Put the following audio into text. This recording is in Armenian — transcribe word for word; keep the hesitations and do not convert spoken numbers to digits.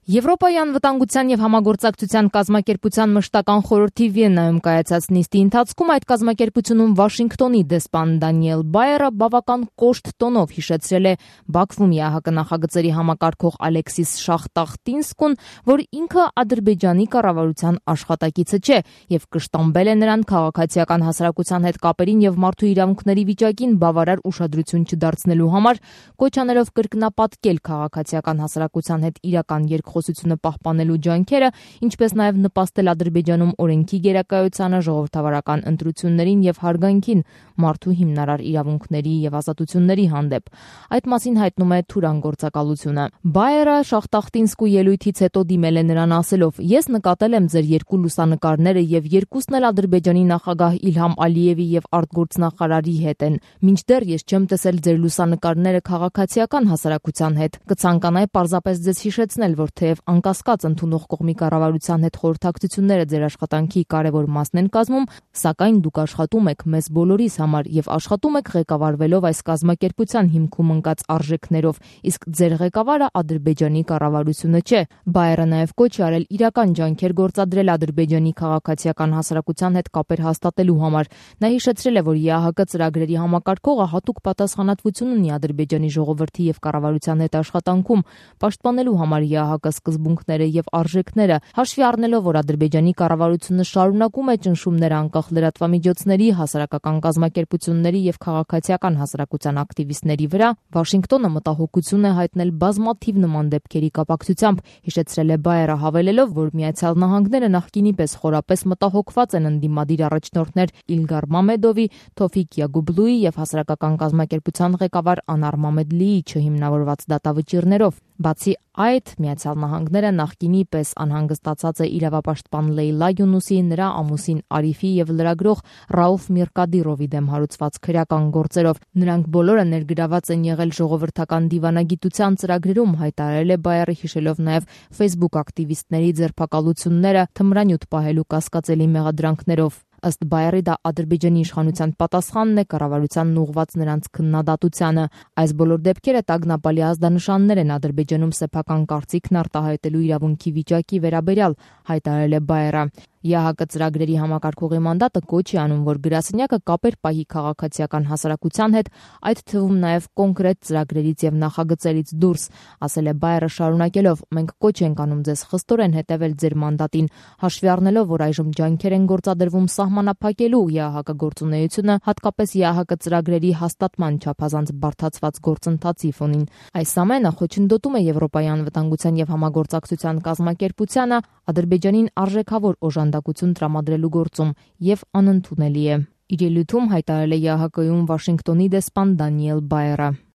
Եվրոպայի անվտանգության և համագործակցության կազմակերպության մշտական խորհրդի Վիեննայում կայացած նիստի ընթացքում այդ կազմակերպությունում Վաշինգտոնի դեսպան Դանիել Բայերը բավական կոշտ տոնով հիշեցրել է Բաքվում ԵԱՀԿ նախագծերի համակարգող Ալեքսիս Շախտախտինսկուն, որ ինքը Ադրբեջանի կառավարության աշխատակիցը չէ և կշտամբել է նրան քաղաքացիական հասարակության հետ կապերին և մարդու իրավունքների վիճակին բավարար ուշադրություն չդարձնելու համար, կոչ անելով կրկնապատկել քաղաքացիական հասարակության հետ իրական երկխոսությունը պահպանելու ջանքերը, ինչպես նաև նպաստել Ադրբեջանում օրենքի գերակայությանը, ժողովրդավարական ընտրություններին և հարգանքին մարդու հիմնարար իրավունքների և ազատությունների հանդեպ։ Այդ մասին հայտնում է Թուրան գործակալությունը։ Բայերը Շախտախտինսկու ելույթից հետո դիմել է նրան ասելով. «Ես նկատել եմ ձեր երկու լուսանկարները և երկուսն էլ Ադրբեջանի նախագահ Իլհամ Ալիևի և արտգործնախարարի հետ են։ Մինչդեռ ես չեմ տեսել ձեր լուսանկարները քաղաքացիական հասարակության հետ։ Կցանկանայի պարզապես ձեզ հիշեցնել, որ թեև անկասկած ընդունող կողմի կառավարության հետ խորհրդակցությունները ձեր աշխատանքի կարևոր մասն են կազմում, սակայն դուք աշխատում եք մեզ բոլորիս համար և աշխատում եք ղեկավարվելով այս կազմակերպության հիմքում ընկած արժեքներով, իսկ ձեր ղեկավարը Ադրբեջանի կառավարությունը չէ»։ Բայերը նաև կոչ է արել իրական ջանքեր գործադրել Ադրբեջանի քաղաքացիական հասարակության հետ կապեր հաստատելու համար։ Նա հիշեցրել է, որ ԵԱՀԿ ծրագրերի համակարգողը հատուկ պատասխանատվություն ունի Ադրբեջանի ժողովրդի և կառավարության հետ աշխատանքում, պաշտպանելու համար ԵԱՀԿ սկզբունքները և արժեքները, հաշվի առնելով, որ Ադրբեջանի կառավարությունը շարունակում է ճնշումներ անկախ լրատվամիջոցների, հասարակական կազմակերպությունների և քաղաքացիական հասարակության ակտիվիստների վրա, Վաշինգտոնը մտահոգություն է հայտնել բազմաթիվ նման դեպքերի կապակցությամբ, հիշեցրել է Բայերը, հավելելով, որ Միացյալ Նահանգները նախկինի պես խորապես մտահոգված են ընդդիմադիր առաջնորդներ Իլգար Մամեդովի, Թոֆիկ Յագուբլուի և հասարակական կազմակերպության ղեկավար Անար Մամեդլիի չհիմնավորված դատավճիռներով։ Բացի այդ, Միացյալ Նահանգները նախկինի պես անհանգստացած է իրավապաշտպան Լեյլա Յունուսի, նրա ամուսին Արիֆի և լրագրող Ռաուֆ Միրկադիրովի դեմ հարուցված քրեական գործերով։ Նրանք բոլորը ներգրաված են եղել ժողովրդական դիվանագիտության ծրագրերում, հայտարարել է Բայերը, հիշելով նաև Facebook ակտիվիստների ձերբակալությունները թմրանյութ պահելու կասկածելի մեղադրանքներով։ Ըստ Բայերի, դա Ադրբեջանի իշխանության պատասխանն է կառավարությանն ուղղված նրանց քննադատությանը։ Այս բոլոր դեպքերը տագնապալի ազդանշաններ են Ադրբեջանում սեփական կարծիքն արտահայտելու իրավունքի վիճակի վերաբերյալ, հայտարարել է Բայերը։ ԵԱՀԿ ծրագրերի համակարգողի մանդատը կոչ է անում, որ գրասենյակը կապեր պահի քաղաքացիական հասարակության հետ, այդ թվում նաև կոնկրետ ծրագրերից և նախագծերից դուրս, ասել է Բայերը, շարունակելով. «Մենք կոչ ենք անում ձեզ խստորեն հետևել ձեր մանդատին, հաշվի առնելով, որ այժմ ջանքեր են գործադրվում սահմանափակելու ԵԱՀԿ գործունեությունը, հատկապես ԵԱՀԿ ծրագրերի հաստատման չափազանց բարդացված գործընթացի ֆոնին։ Այս ամենը խոչընդոտում է Եվրոպայի անվտանգության և համագործակցության կազմակերպությանը Ադրբեջանին արժեքավոր օժանդակություն տրամադրելու գործում և անընդունելի է», իր ելույթում հայտարարել է ԵԱՀԿ-ում Վաշինգտոնի դեսպան Դանիել Բայերը։